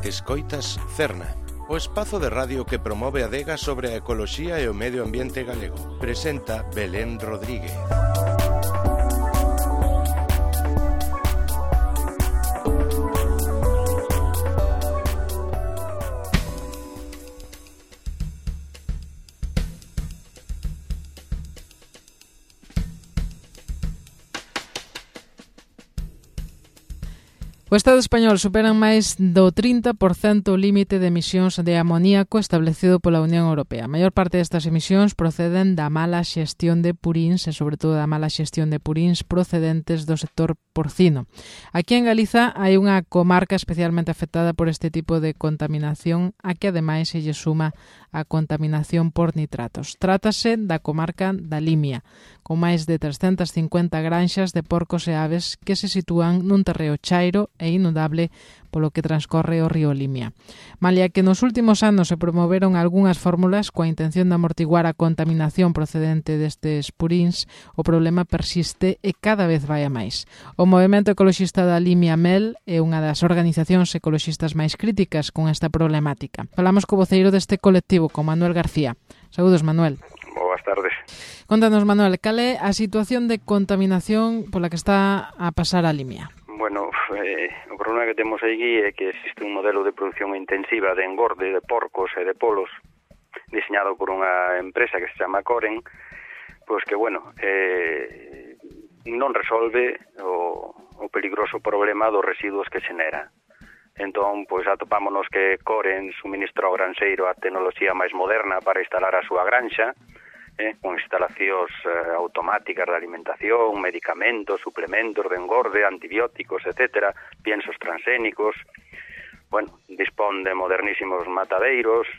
Escoitas Cerna, o espazo de radio que promove a adega sobre a ecoloxía e o medio ambiente galego. Presenta Belén Rodríguez. O Estado español superan máis do 30% o límite de emisións de amoníaco establecido pola Unión Europea. A maior parte destas emisións proceden da mala xestión de puríns e, sobre todo, da mala xestión de puríns procedentes do sector porcino. Aquí en Galiza hai unha comarca especialmente afectada por este tipo de contaminación, a que ademais se lle suma a contaminación por nitratos. Trátase da comarca da Limia, con máis de 350 granxas de porcos e aves que se sitúan nun terreo chairo e inundable polo que transcorre o río Limia. Malia que nos últimos anos se promoveron algunhas fórmulas coa intención de amortiguar a contaminación procedente destes puríns, o problema persiste e cada vez vai a máis. O Movemento Ecoloxista da Limia Mel é unha das organizacións ecoloxistas máis críticas con esta problemática. Falamos co voceiro deste colectivo, con Manuel García. Saúdos, Manuel. Boas tardes. Contanos, Manuel, cal é a situación de contaminación pola que está a pasar a Limia? Bueno, o problema que temos aí é que existe un modelo de produción intensiva de engorde de porcos e de polos diseñado por unha empresa que se chama Coren, pois que, bueno, non resolve o peligroso problema dos residuos que xenera. Entón, pois atopámonos que Coren suministra ao granxeiro a tecnoloxía máis moderna para instalar a súa granxa, con instalacións automáticas de alimentación, medicamentos, suplementos de engorde, antibióticos, etcétera, piensos transgénicos. Bueno, dispón de modernísimos matadeiros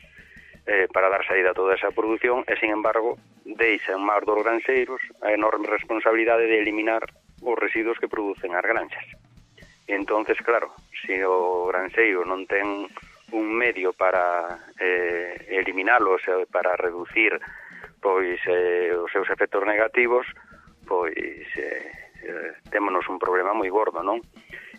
para dar saída a toda esa produción e, sin embargo, deixa en mar dos granxeiros a enorme responsabilidade de eliminar os residuos que producen as granxas. E entonces, claro, se o granxeiro non ten un medio para eliminalos, para reducir pois os seus efectos negativos, pois témonos un problema moi gordo, non?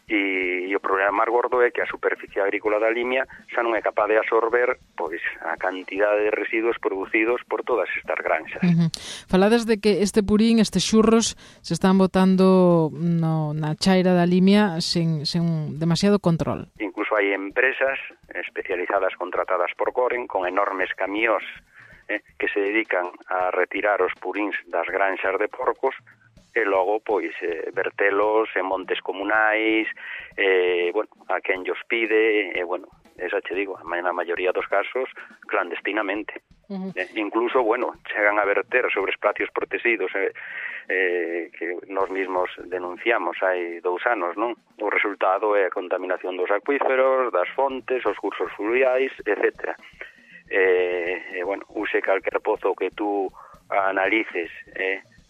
E o problema máis gordo é que a superficie agrícola da Limia xa non é capaz de absorber pois a cantidade de residuos producidos por todas estas granxas. Falades de que este purín, estes xurros, se están botando na chaira da Limia sen demasiado control. Incluso hai empresas especializadas contratadas por Coren con enormes camións que se dedican a retirar os puríns das granxas de porcos e logo, pois, vertelos en montes comunais, bueno, a quen llos pide, bueno, esa che digo, na maioría dos casos, clandestinamente. Incluso, bueno, chegan a verter sobre espacios protegidos que nós mesmos denunciamos hai 2 anos, non? O resultado é a contaminación dos acuíferos, das fontes, os cursos fluviais, etcétera. Bueno, use calquer pozo que tú analices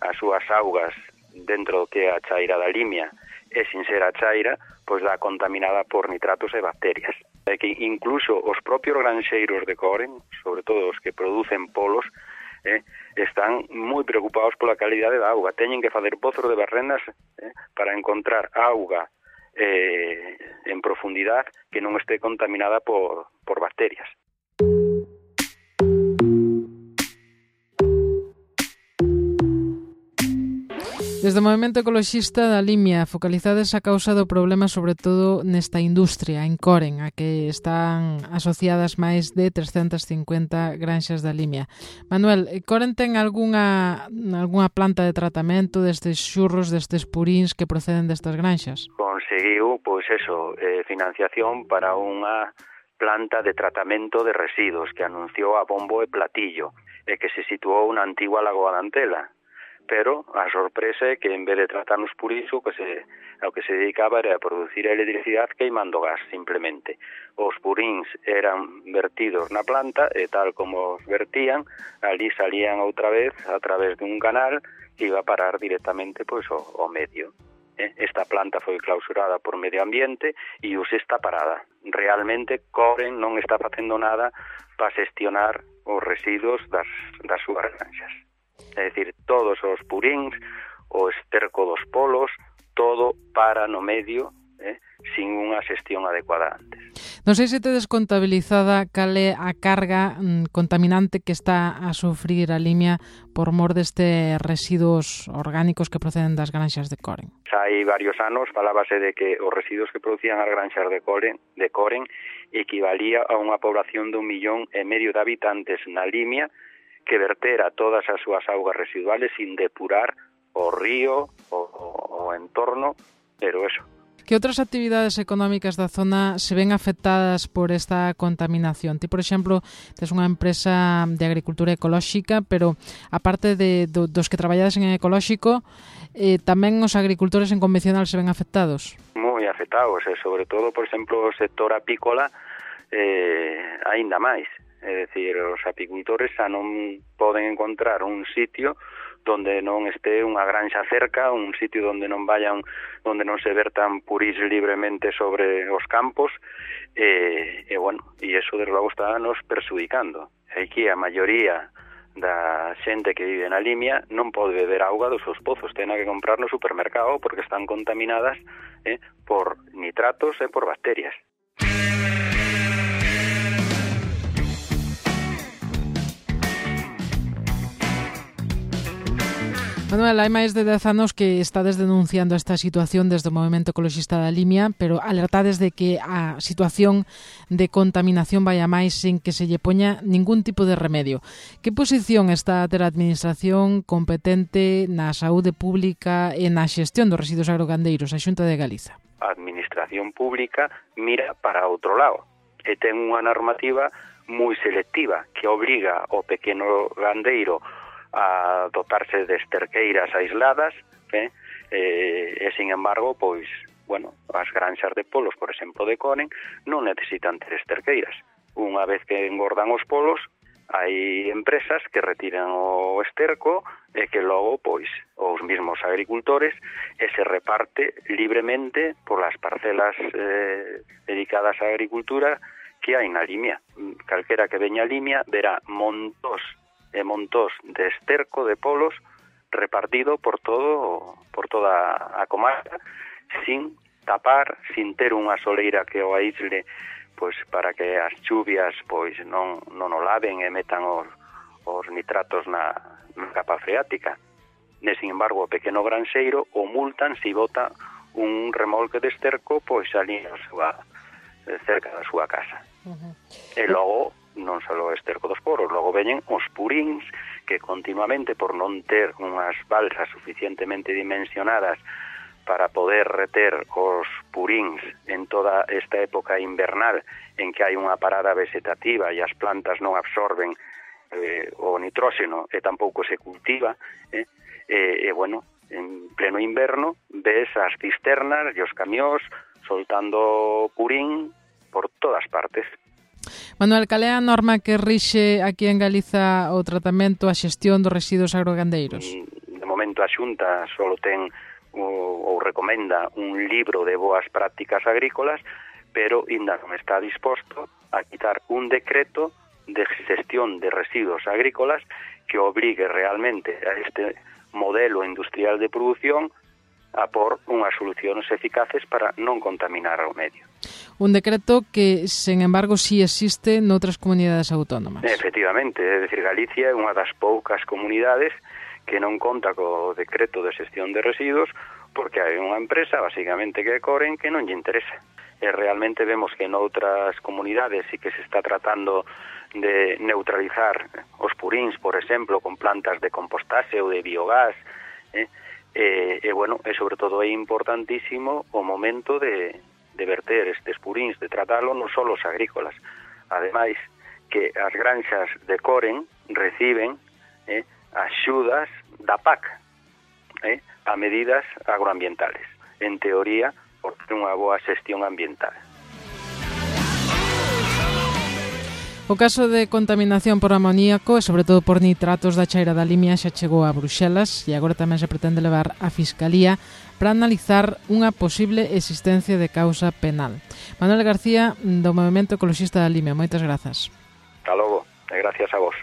as súas augas dentro do que é a chaira da Limia e sin ser a chaira, pois dá contaminada por nitratos e bacterias. Que incluso os propios granxeiros de Coren, sobre todo os que producen polos, están moi preocupados pola calidade da auga. Teñen que facer pozos de barrenas para encontrar auga en profundidade que non este contaminada por bacterias. Desde o Movemento Ecoloxista da Limia focalizades a causa do problema sobre todo nesta industria, en Coren, a que están asociadas máis de 350 granxas da Limia. Manuel, Coren ten algunha planta de tratamento destes xurros, destes puríns que proceden destas granxas? Conseguiu, pois eso, financiación para unha planta de tratamento de residuos que anunciou a bombo e platillo e que se situou na antigua Lagoa da Antela. Pero a sorpresa é que en vez de tratar nos puríns ao que se dedicaba era a producir a electricidade queimando gas, simplemente. Os puríns eran vertidos na planta e tal como os vertían, ali salían outra vez a través dun canal que iba a parar directamente pois ao medio. Esta planta foi clausurada por Medio Ambiente e hoxe está parada. Realmente Coren non está facendo nada para xestionar os residuos das súas granxas. É dicir, todos os puríns, o esterco dos polos, todo para no medio, sin unha xestión adecuada antes. Non sei se tedes contabilizada cal é a carga contaminante que está a sufrir a Limia por mor deste residuos orgánicos que proceden das granxas de Coren. Hai varios anos falábase de que os residuos que producían as granxas de Coren equivalía a unha población de 1,5 millón de habitantes na Limia que vertera todas as súas augas residuales sin depurar o río, o entorno, pero eso. Que outras actividades económicas da zona se ven afectadas por esta contaminación? Ti, por exemplo, tes unha empresa de agricultura ecolóxica, pero aparte dos que traballades en ecolóxico, tamén os agricultores en convencional se ven afectados? Moi afectados, sobre todo, por exemplo, o sector apícola, aínda máis. É dicir, os apicultores xa non poden encontrar un sitio donde non este unha granxa cerca, un sitio donde non vayan, donde non se vertan purís libremente sobre os campos, e eso desde logo está nos perxudicando. Aquí a maioría da xente que vive na Limia non pode beber auga dos seus pozos, ten que comprar no supermercado porque están contaminadas por nitratos e por bacterias. Manuel, hai máis de 10 anos que estades denunciando esta situación desde o Movemento Ecoloxista da Limia, pero alertades de que a situación de contaminación vai a máis sin que se lle poña ningún tipo de remedio. Que posición está a ter a Administración competente na saúde pública e na xestión dos residuos agrogandeiros, a Xunta de Galiza? A Administración pública mira para outro lado e ten unha normativa moi selectiva que obriga ao pequeno gandeiro a dotarse de esterqueiras aisladas, e sin embargo, pois, as granxas de polos, por exemplo, de Coren, non necesitan ter esterqueiras. Unha vez que engordan os polos, hai empresas que retiran o esterco e que logo, pois, os mismos agricultores se reparte libremente por las parcelas dedicadas á agricultura que hai na Limia. Calquera que veña a Limia verá montós de esterco de polos repartido por toda a comarca sin tapar, sin ter unha soleira que o aísle, pois para que as chuvias pois non o laven e metan os nitratos na capa freática. Sin embargo, o pequeno granxeiro o multan se bota un remolque de esterco pois ali cerca da súa casa. E logo non só o esterco dos poros, logo veñen os puríns que continuamente, por non ter unhas balsas suficientemente dimensionadas para poder reter os puríns en toda esta época invernal en que hai unha parada vegetativa e as plantas non absorben o nitróxeno e tampouco se cultiva, en pleno inverno ves as cisternas e os camións soltando purín por todas partes. Manuel, cal é a norma que rixe aquí en Galiza o tratamento, a xestión dos residuos agrogandeiros? De momento a Xunta só ten ou recomenda un libro de boas prácticas agrícolas, pero ainda non está disposto a quitar un decreto de xestión de residuos agrícolas que obrigue realmente a este modelo industrial de produción a por unhas solucións eficaces para non contaminar o medio. Un decreto que, sen embargo, sí existe noutras comunidades autónomas. Efectivamente, é dicir, Galicia é unha das poucas comunidades que non conta co decreto de xestión de residuos porque hai unha empresa, basicamente, que é Coren, que non lle interesa. E realmente vemos que noutras comunidades sí que se está tratando de neutralizar os puríns, por exemplo, con plantas de compostaxe ou de biogás, e sobre todo é importantísimo o momento de verter estes puríns, de tratalo non só os agrícolas. Ademais, que as granxas de Coren reciben axudas da PAC a medidas agroambientales. En teoría, por unha boa xestión ambiental. O caso de contaminación por amoníaco e sobre todo por nitratos da chaira da Limia xa chegou a Bruxelas e agora tamén se pretende levar á Fiscalía para analizar unha posible existencia de causa penal. Manuel García, do Movemento Ecoloxista da Limia, moitas grazas. Hasta logo, e gracias a vos.